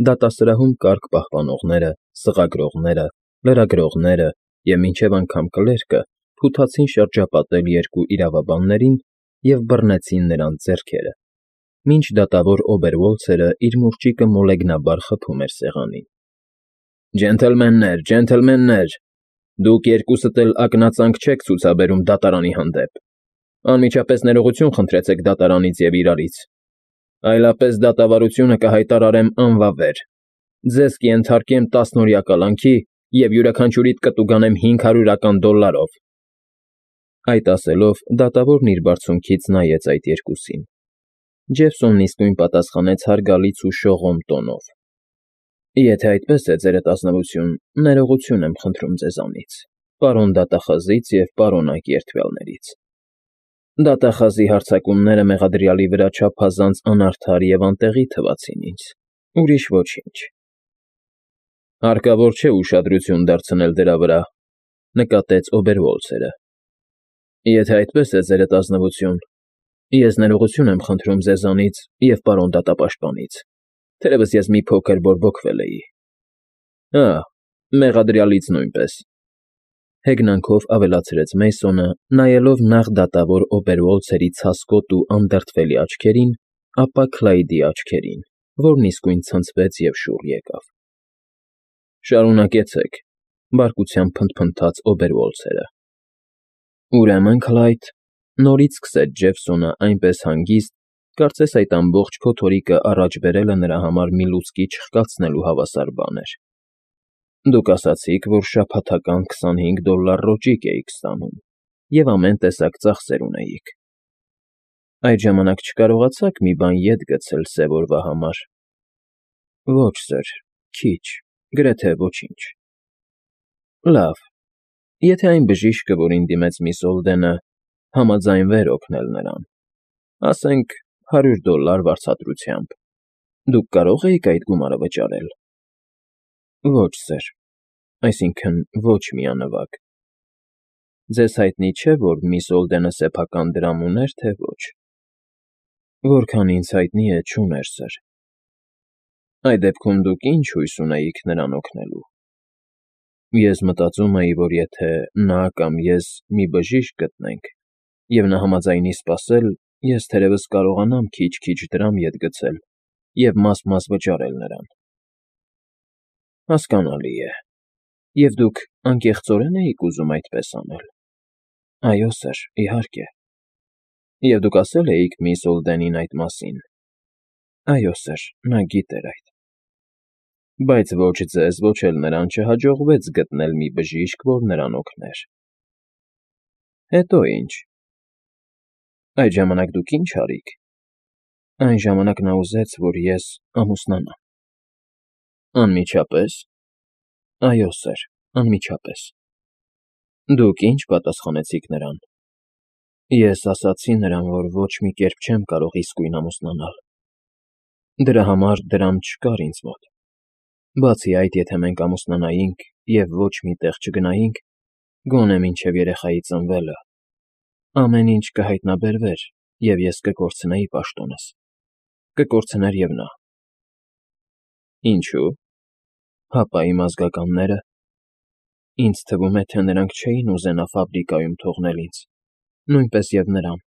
Դատասրահում կարգ պահպանողները, սղագրողները, լրագրողները և մինչև անգամ կլերկը փութացին շրջապատել երկու իրավաբաններին և բռնեցին նրանց ձեռքերը, մինչ դատավոր Օբերվոլցերը իր մուրճիկը մոլեգնաբար խփում էր սեղանին։ ֊ Ջենթլմեններ, դուք երկուսդ էլ ակնածանք չեք ցուցաբերում դատարանի հանդեպ, անմիջապես ներողություն խնդրեցեք դատարանից և իրարից, այլապես դատավարությունը կհայտարարեմ անվավեր, ձեզ կենթարկեմ 10-օրյա կալանքի և յուրաքանչյուրիդ կտուգանեմ $500 Այդ ասելով դատավորն իր բարձունքից նայեց այդ երկուսին։ Ջեֆսոնն իսկույն պատասխանեց հարգալից ու շողոմ տոնով. Եթե այդպես է, ձերդ ազնվություն, ներողություն եմ խնդրում ձեզանից, պարոն դատախազից և պարոնակ երդվյալներից։ Դատախազի հարձակումները մեղադրյալի վրա չափազանց անարդար և անտեղի թվացին ինձ, ուրիշ ոչինչ։ Հարկավոր չէ ուշադրություն դարձնել դրա վրա, նկատեց Օբերվոլցերը։ Եթե այդպես է, ձերդ ազնվություն, ես ներողություն եմ խնդրում ձեզանից և պարոն դատապաշտպանից, թերևս ես մի փոքր բորբոքվել էի։ Մեղադրյալից նույնպես, հեգնանքով ավելացրեց Մեյսոնը, նայելով նախ դատավոր Օբերվոլցերի ցասկոտ ու անդրդվելի աչքերին, ապա Քլայդի աչքերին, որն իսկույն ցնցվեց և շուռ եկավ։ Շարունակեցեք, բարկությամբ փնթփնթաց Օբերվոլցերը։ Ուրեմն, Քլայդ, նորից սկսեց Ջեֆսոնը այնպես հանգիստ, կարծես այդ ամբողջ փոթորիկը առաջ բերելը նրա համար մի լուցկի չխկացնելու հավասար բան էր։ Դուք ասացիք, որ շաբաթական $25 ռոճիկ էիք ստանում և ամեն տեսակ ծախսեր ունեիք։ Այդ ժամանակ չկարողացաք մի բան ետ գցել սև օրվա համար։ Ոչ, սըր, քիչ, գրեթե ոչինչ։ Լավ, եթե այն բժիշկը, որին դիմեց միս Օլդենը, համաձայնվեր օգնել նրան, ասենք $100 վարձատրությամբ, դուք կարող էիք այդ գումարը վճարել։ Ոչ, սըր, այսինքն ոչ միանվագ։ Ձեզ հայտնի չէ, որ միս Օլդենը սեփական դրամ ուներ, թե ոչ։ Որքան ինձ հայտնի է, չուներ, սըր։ Այդ դեպքում դուք ի՞նչ հույս ունեիք նրան օգնելու։ Ես մտածում էի, որ եթե նա կամ ես մի բժիշկ գտնենք, և նա համաձայնի սպասել, ես թերևս կարողանամ քիչ-քիչ դրամ ետ գցել և մաս֊մաս վճարել նրան։ Հասկանալի է։ Եվ դուք անկեղծորե՞ն էիք ուզում այդպես անել։ Այո, սըր, իհարկե։ Եվ դուք ասել էիք միս Օլդենին այդ մասին։ Այո, սըր, նա գիտեր այդ։ Բայց ոչ ձեզ, ոչ էլ նրան չհաջողվեց գտնել մի բժիշկ, որ նրան օգներ։ Հետո ի՞նչ։ Այդ ժամանակ դուք ի՞նչ արիք։ Այն ժամանակ նա ուզեց, որ ես ամուսնանամ։ Անմիջապես։ Այո, սըր, անմիջապես։ Դուք ի՞նչ պատասխանեցիք նրան։ Ես ասացի նրան, որ ոչ մի կերպ չեմ կարող իսկույն ամուսնանալ։ Դրա համար դրամ չկար ինձ մոտ։ Բացի այդ, եթե մենք ամուսնանայինք և ոչ մի տեղ չգնայինք, գոնե մինչև երեխայի ծնվելը, ամեն ինչ կհայտնաբերվեր, և ես կկորցնեի պաշտոնս, կկորցներ և նա։ Ինչո՞ւ։ Հապա իմ ազգականները։ Ինձ թվում է, թե նրանք չէին ուզենա ֆաբրիկայում թողնել ինձ, նույնպես և նրան։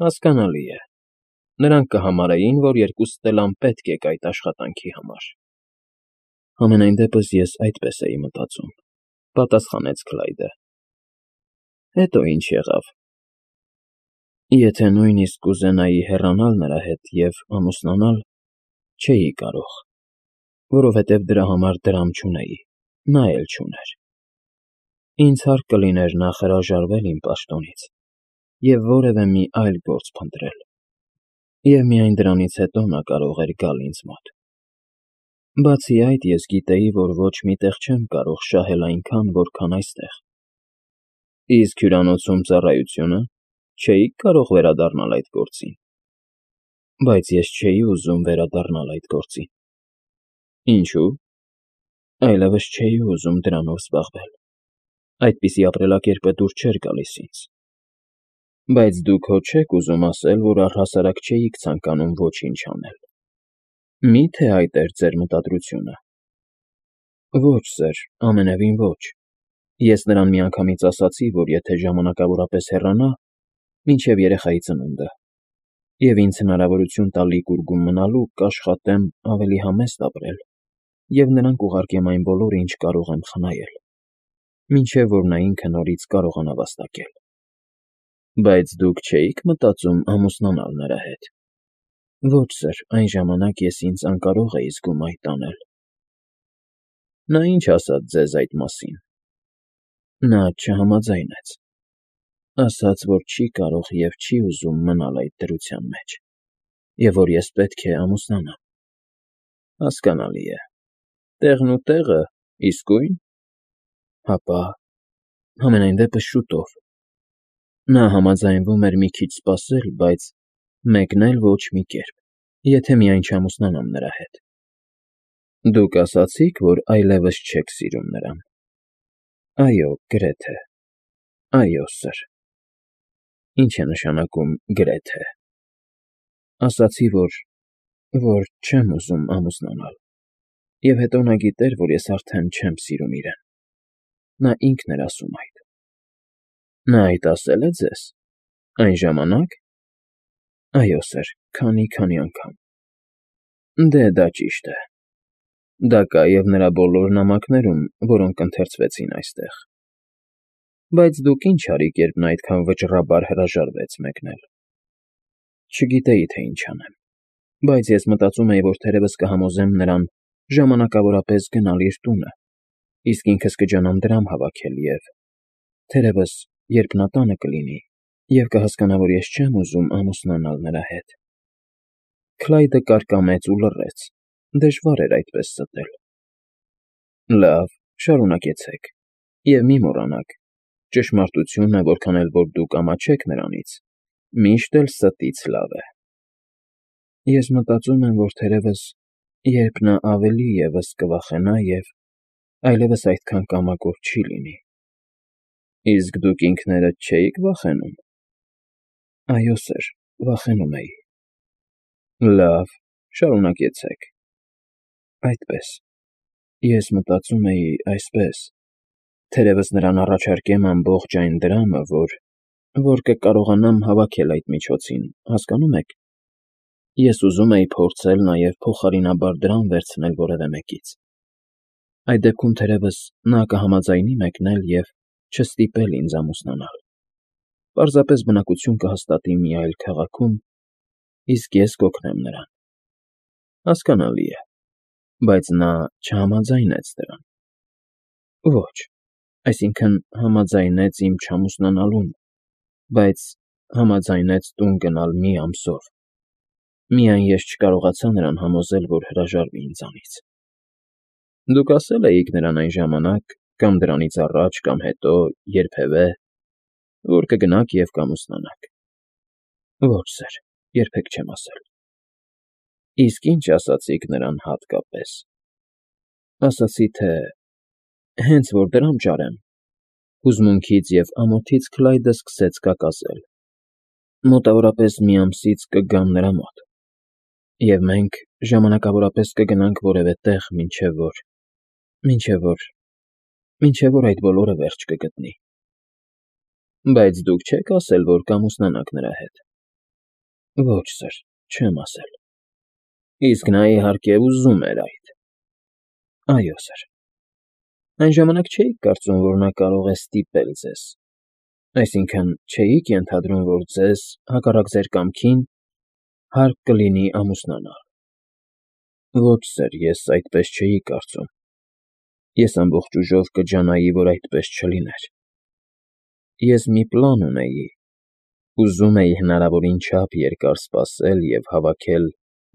Հասկանալի է։ Նրանք կհամարեին, որ երկուսդ էլ անպետք եք այդ աշխատանքի համար։ Համենայն դեպս ես այդպես էի մտածում, պատասխանեց Քլայդը։ Հետո ի՞նչ եղավ։ Եթե նույնիսկ կուզենայի հեռանալ նրա հետ և ամուսնանալ, չէի կարող, որովհետև դրա համար դրամ չունեի, նա էլ չուներ։ Ինձ հարկ կլիներ նախ հրաժարվել իմ պաշտոնից և որևէ մի այլ գործ փնտրել, և միայն դրանից հետո նա կարող էր գալ ինձ մոտ։ Բացի այդ, ես գիտեի, որ ոչ մի տեղ չեմ կարող շահել այնքան, որքան այստեղ։ Իսկ հյուրանոցում ծառայությո՞ւնը, չէիք կարող վերադառնալ այդ գործին։ Բայց ես չէի ուզում վերադառնալ այդ գործին։ Ինչո՞ւ։ Այլևս չէի ուզում դրանով զբաղվել։ Այդպիսի ապրելակերպը դուր չէր գալիս ինձ։ Բայց դուք հո չեք ուզում ասել, որ առհասարակ չէիք ցանկանում ոչինչ անել։ Մի՞թե այդ էր ձեր մտադրությունը։ Ոչ, սըր, ամենևին ոչ։ Ես նրան միանգամից ասացի, որ եթե ժամանակավորապես հեռանա, մինչև երեխայի ծնունդը, և ինձ հնարավորություն տալի գուրգում մնալու, կաշխատեմ ավելի համեստ ապրել և նրան կուղարկեմ այն բոլորը, ինչ կարող եմ խնայել, մինչև որ նա ինքը նորից կարողանա վաստակել։ Բայց դուք չէի՞ք մտածում ամուսնանալ նրա հետ։ Ոչ, սըր, այն ժամանակ ես ինձ անկարող էի զգում այդ անել։ Նա ինչ ասաց ձեզ այդ մասին։ Նա չհամաձայնեց։ Ասաց, որ չի կարող և չի ուզում մնալ այդ դրության մեջ, և որ ես պետք է ամուսնանամ։ Հասկանալի է։ Տեղն ու տեղը իսկույն։ Հապա, համենայն դեպս շուտով։ Նա համաձայնվում էր մի քիչ սպասել, բայց մեկն էլ ոչ մի կերպ, եթե միայն չամուսնանամ նրա հետ։ Դուք ասացի՞ք, որ այլևս չեք սիրում նրան։ Այո, գրեթե։ Այո, սըր։ Ինչ է նշանակում գրեթե։ Ասացի, որ չեմ ուզում ամուսնանալ, և հետո նա գիտեր, որ ես արդեն չեմ սիրում իրեն։ Նա ինքն էր ասում այդ։ Նա այդ ասել է ձեզ։ Այն ժամանակ։ Այո, սըր, քանի անգամ։ Դե, դա ճիշտ է։ Դա կա և նրա բոլոր նամակներում, որոնք ընթերցվեցին այստեղ։ Բայց դուք ինչ արիք, երբ նա այդքան վճռաբար հրաժարվեց մեկնել։ Չգիտեի, թե ինչ անեմ, բայց ես մտածում էի, որ թերևս կհամոզեմ նրան ժամանակավորապես գնալ իր տունը, իսկ ինքս կջանամ դրամ հավաքել և… Թերևս, երբ նա տանը կլինի և կհասկանա, որ ես չեմ ուզում ամուսնանալ նրա հետ… Քլայդը կարկամեց ու լռեց, դժվար էր այդպես ստել։ Լավ, շարունակեցեք, և մի մոռանաք, ճշմարտությունը, որքան էլ որ դուք ամաչեք նրանից, միշտ էլ ստից լավ է։ Ես մտածում եմ, որ թերևս, երբ նա ավելի ևս կվախենա և այլևս այդքան կամակոր չի լինի։ Իսկ դուք ինքներդ չէի՞ք վախենում։ Այո, սըր, վախենում էի։ Լավ, շարունակեցեք։ Այդպես, ես մտածում էի այսպես. թերևս նրան առաջարկեմ ամբողջ այն դրամը, որ կկարողանամ հավաքել այդ միջոցին, հասկանո՞մ եք։ Ես ուզում էի փորձել նաև փոխարինաբար դրամ վերցնել որևէ մեկից։ Այդ դեպքում թերևս նա կհամաձայնի մեկնել և չստիպել ինձ ամուսնանալ։ Պարզապես բնակություն կհաստատի մի այլ քաղաքում, իսկ ես կօգնեմ նրան։ Հասկանալի է, բայց նա չհամաձայնեց դրան։ Ոչ, այսինքն համաձայնեց իմ չամուսնանալուն, բայց համաձայնեց տուն գնալ մի ամսով։ Միայն ես չկարողացա նրան համոզել, որ հրաժարվի ինձանից։ Դուք ասել էիք նրան այն ժամանակ, կամ դրանից առաջ, կամ հետո, երբևէ, որ կգնաք և կամուսնանաք։ Ոչ, սըր, երբեք չեմ ասել։ Իսկ ինչ ասացիք նրան հատկապես։ Ասացի, թե հենց որ դրամ ճարեմ։ Հուզմունքից և ամոթից Քլայդը սկսեց կակասել։ Մոտավորապես մի ամսից կգամ նրա մոտ, և մենք ժամանակավորապես կգնանք որևէ տեղ, մինչև որ այդ բոլորը վերջ կգտնի։ Բայց դուք չեք ասել, որ կամուսնանաք նրա հետ։ Ոչ, սըր, չեմ ասել։ Իսկ նա, իհարկե, ուզում էր այդ։ Այո, սըր։ Այն ժամանակ չէիք կարծում, որ նա կարող է ստիպել ձեզ։ Այսինքն՝ չէիք ենթադրում, որ ձեզ, հակառակ ձեր կամքին, հարկ կլինի ամուսնանալ։ Ոչ, սըր, ես այդպես չէի կարծում։ Ես ամբողջ ուժով կջանայի, որ այդպես չլիներ։ Ես մի պլան ունեի, ուզում էի հնարավորին չափ երկար սպասել և հավաքել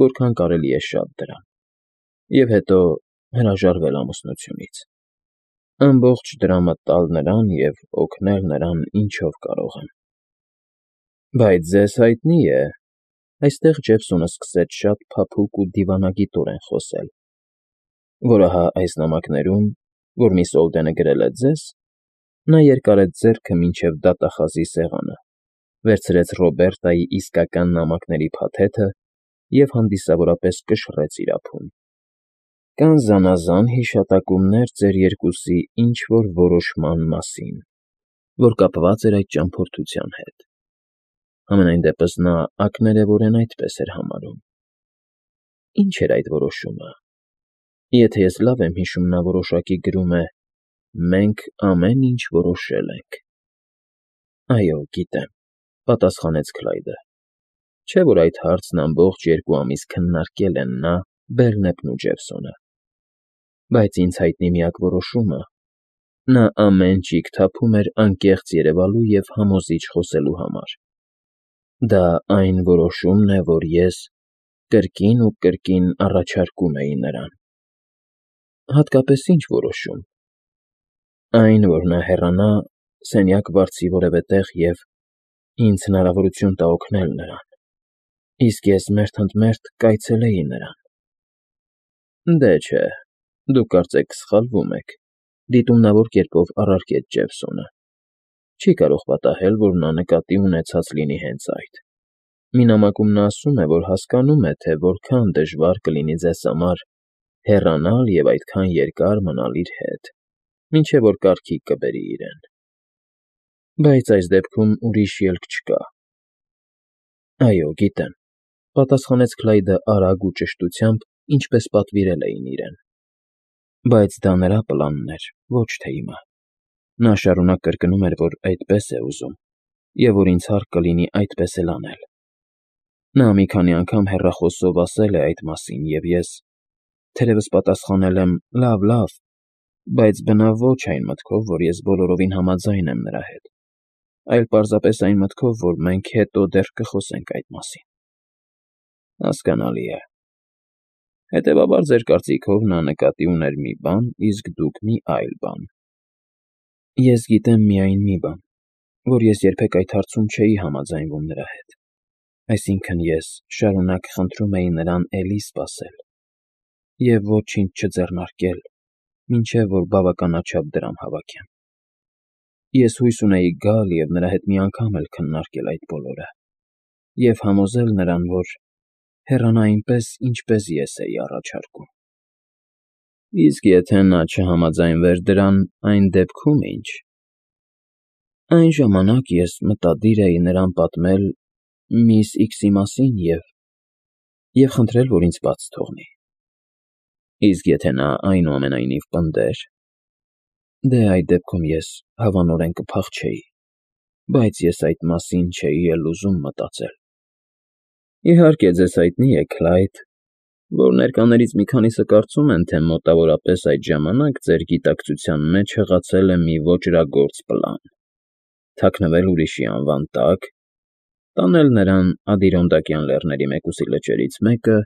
որքան կարելի է շատ դրամ, և հետո հրաժարվել ամուսնությունից, ամբողջ դրամը տալ նրան և օգնել նրան ինչով կարող եմ։ Բայց ձեզ հայտնի է, այստեղ Ջեֆսոնը սկսեց շատ փափուկ ու դիվանագիտորեն խոսել, որ ահա այս նամակներում, որ միս Օլդենը գրել է ձեզ, նա երկարեց ձեռքը մինչև դատախազի սեղանը, վերցրեց Ռոբերտայի իսկական նամակների փաթեթը և հանդիսավորապես կշռեց իր ափում։ Կան զանազան հիշատակումներ ձեր երկուսի ինչ-որ որոշման մասին, որ կապված էր այդ ճամփորդության հետ։ Համենայն դեպս նա ակներևորեն այդպես էր համարում։ Ինչ էր այդ որոշումը։ Եթե ես լավ եմ հիշում, նա որոշակի գրում է. «Մենք ամեն ինչ որոշել ենք»։ Այո, գիտեմ, պատասխանեց Քլայդը։ Չէ՞ որ այդ հարցն ամբողջ 2 ամիս քննարկել են նա, Բերնեպն ու Ջեֆսոնը։ Բայց ինձ հայտնի միակ որոշումը. նա ամեն ճիգ թափում էր անկեղծ երևալու և համոզիչ խոսելու համար։ Դա այն որոշումն է, որ ես կրկին ու կրկին առաջարկում էի նրան։ Հատկապես ի՞նչ որոշում։ Այն, որ նա հեռանա, սենյակ վարձի որևէ տեղ և ինձ հնարավորություն տա օգնել նրան, իսկ ես մերթընդմերթ կայցելեի նրան։ Դե չէ, դուք կարծեք սխալվում եք, դիտումնավոր կերպով առարկեց Ջեֆսոնը։ Չի կարող պատահել, որ նա նկատի ունեցած լինի հենց այդ։ Մի նամակում նա ասում է, որ հասկանում է, թե որքան դժվար կլինի ձեզ համար հեռանալ և այդքան երկար մնալ իր հետ, մինչև որ կարգիկ կբերի իրեն։ Բայց այս դեպքում ուրիշ ելք չկա։ Այո, գիտեմ, պատասխանեց Քլայդը արագ ու ճշտությամբ, ինչպես պատվիրել էին իրեն։ Բայց դա նրա պլանն էր, ոչ թե իմը։ Նա շարունակ կրկնում էր, որ այդպես է ուզում, և որ ինձ հարկ կլինի այդպես էլ անել։ Նա մի քանի անգամ հեռախոսով ասել է այդ մասին, և ես, թերևս պատասխանել եմ. «Լավ, լավ», բայց բնավ ոչ այն մտքով, որ ես բոլորովին համաձայն եմ նրա հետ, այլ պարզապես այն մտքով, որ մենք հետո դեռ կխոսենք այդ մասին։ Հասկանալի է։ Հետևաբար, ձեր կարծիքով նա նկատի ուներ մի բան, իսկ դուք մի այլ բան։ Ես գիտեմ միայն մի բան, որ ես երբեք այդ հարցում չէի համաձայնվում նրա հետ։ Այսինքն ես շարունակ խնդրում էի նրան էլի սպասել և ոչինչ չձեռնարկել, մինչև որ բավականաչափ դրամ հավաքեմ։ Ես հույս ունեի գալ և նրա հետ մի անգամ էլ քննարկել այդ բոլորը և համոզել նրան, որ հեռանա այնպես, ինչպես ես էի առաջարկում։ Իսկ եթե նա չհամաձայնվեր դրան, այն դեպքում ի՞նչ։ Այն ժամանակ ես մտադիր էի նրան պատմել միս X-ի մասին և խնդրել, որ ինձ բաց թողնի։ Իսկ եթե նա այնուամենայնիվ պնդեր, դե այդ դեպքում ես հավանորեն կփախչեի, բայց ես այդ մասին չէի էլ ուզում մտածել։ Իհարկե, ձեզ հայտնի է, Քլայդ, որ ներկաներից մի քանիսը կարծում են, թե մոտավորապես այդ ժամանակ ձեր գիտակցության մեջ հղացել է մի ոճրագործ պլան՝ թաքնվել ուրիշի անվան տակ, տանել նրան Ադիրոնդակյան լեռների մեկուսի լճերից մեկը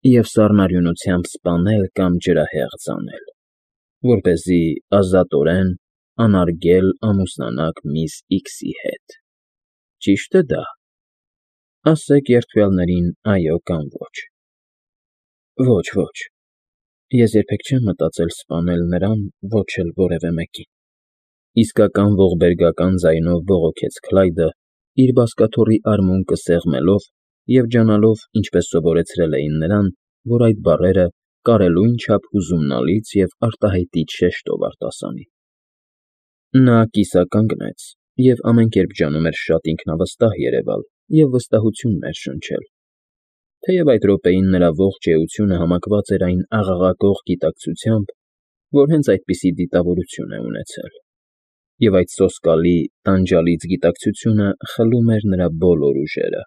և սառնարյունությամբ սպանել կամ ջրահեղձ անել, որպեսզի ազատորեն, անարգել ամուսնանաք միս X-ի հետ։ Ճի՞շտ է դա։ Ասեք երդվյալներին այո կամ ոչ։ Ոչ, ոչ։ Ես երբեք չեմ մտածել սպանել նրան, ոչ էլ որևէ մեկին։ Իսկական ողբերգական ձայնով բողոքեց Քլայդը, իր բազկաթոռի արմունկը սեղմելով և ջանալով, ինչպես սովորեցրել էին նրան, որ այդ բառերը կարելույն չափ հուզումնալից և արտահայտիչ շեշտով արտասանի։ Նա կիսականգնեց և ամեն կերպ ջանում էր շատ ինքնավստահ երևալ և վստահություն ներշնչել, թեև այդ րոպեին նրա ողջ էությունը համակված էր այն աղաղակող գիտակցությամբ, որ հենց այդպիսի դիտավորություն է ունեցել, և այդ սոսկալի, տանջալից գիտակցությունը խլում էր նրա բոլոր ուժերը։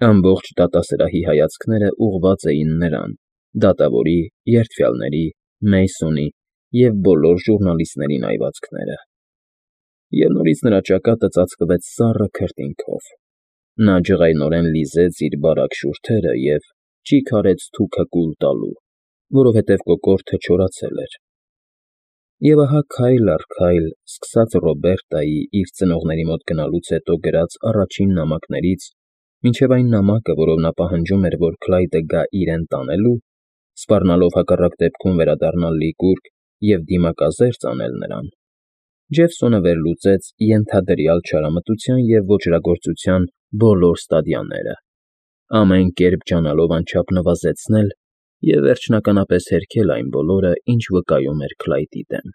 Ամբողջ դատասրահի հայացքները ուղղված էին նրան, դատավորի, երդվյալների, Մեյսոնի և բոլոր ժուռնալիստների նայվածքները։ Եվ նորից նրա ճակատը ծածկվեց սառը քրտինքով։ Նա ջղայնորեն լիզեց իր բարակ շուրթերը և ճիգ արեց թուքը կուլ տալու, որովհետև կոկորդը չորացել էր։ Եվ ահա քայլ առ քայլ, սկսած Ռոբերտայի իր ծնողների մոտ գնալուց հետո գրած առաջին նամակներից մինչև այն նամակը, որով նա պահանջում էր, որ Քլայդը գա իրեն տանելու, սպառնալով հակառակ դեպքում վերադառնալ Լիկուրգ և դիմակազերծ անել նրան, Ջեֆսոնը վերլուծեց ենթադրյալ չարամտության և ոճրագործության բոլոր ստադիաները, Ամեն կերպ ջանալով անչափ նվազեցնել և վերջնականապես հերքել այն բոլորը, ինչ վկայում էր Քլայդի դեմ։